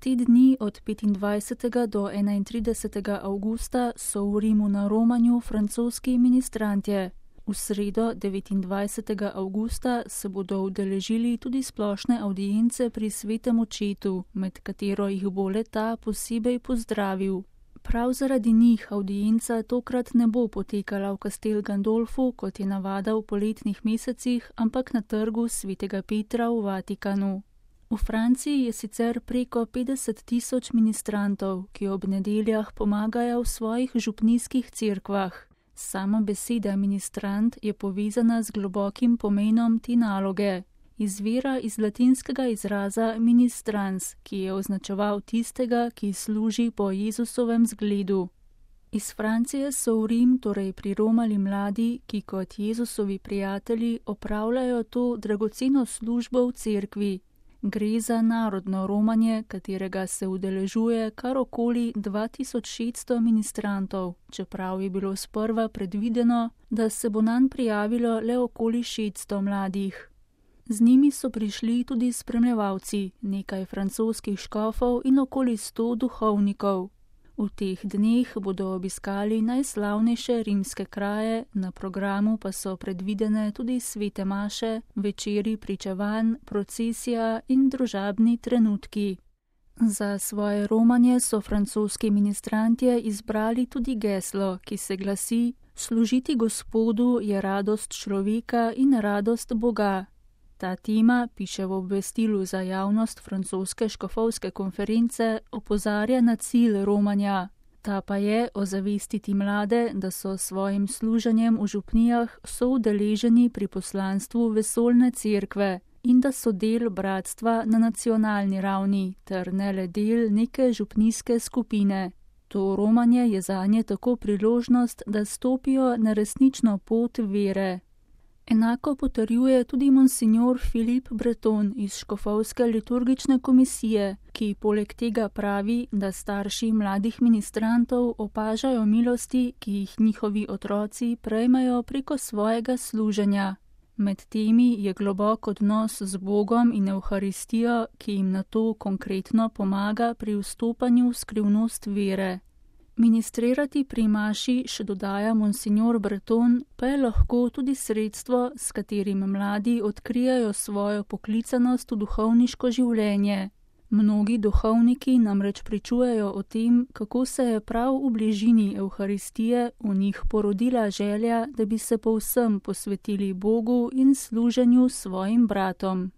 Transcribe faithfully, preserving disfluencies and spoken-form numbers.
Te dni od petindvajsetega do enaintridesetega avgusta so v Rimu na romanju francoski ministrantje. V sredo devetindvajsetega avgusta se bodo udeležili tudi splošne avdience pri svetem očetu, med katero jih bo le-ta posebej pozdravil. Prav zaradi njih avdienca tokrat ne bo potekala v Castel Gandolfu, kot je navada v poletnih mesecih, ampak na trgu svetega Petra v Vatikanu. V Franciji je sicer preko petdeset tisoč ministrantov, ki ob nedeljah pomagajo v svojih župnijskih cerkvah. Sama beseda ministrant je povezana z globokim pomenom te naloge. Izvira iz latinskega izraza ministrans, ki je označeval tistega, ki služi po Jezusovem zgledu. Iz Francije so v Rim torej priromali mladi, ki kot Jezusovi prijatelji opravljajo to dragoceno službo v cerkvi. Gre za narodno romanje, katerega se udeležuje kar okoli dva tisoč šeststo ministrantov, čeprav je bilo sprva predvideno, da se bo nanj prijavilo le okoli šeststo mladih. Z njimi so prišli tudi spremljevalci, nekaj francoskih škofov in okoli sto duhovnikov. V teh dneh bodo obiskali najslavnejše rimske kraje, na programu pa so predvidene tudi svete maše, večeri pričevanj, procesija in družabni trenutki. Za svoje romanje so francoski ministrantje izbrali tudi geslo, ki se glasi: Služiti Gospodu je radost človeka in radost Boga. Ta tema, piše v obvestilu za javnost francoske škofovske konference, opozarja na cilj romanja. Ta pa je ozavestiti mlade, da so s svojim služenjem v župnijah soudeleženi pri poslanstvu vesoljne cerkve in da so del bratstva na nacionalni ravni, ter ne le del neke župnijske skupine. To romanje je zanje tako priložnost, da stopijo na resnično pot vere. Enako potrjuje tudi monsignor Philippe Breton iz škofovske liturgične komisije, ki poleg tega pravi, da starši mladih ministrantov opažajo milosti, ki jih njihovi otroci prejmejo preko svojega služenja. Med temi je globok odnos z Bogom in Evharistijo, ki jim na to konkretno pomaga pri vstopanju v skrivnost vere. Ministrirati pri maši, še dodaja monsignor Breton, pa je lahko tudi sredstvo, s katerim mladi odkrijajo svojo poklicanost v duhovniško življenje. Mnogi duhovniki namreč pričujejo o tem, kako se je prav v bližini Evharistije v njih porodila želja, da bi se povsem posvetili Bogu in služenju svojim bratom.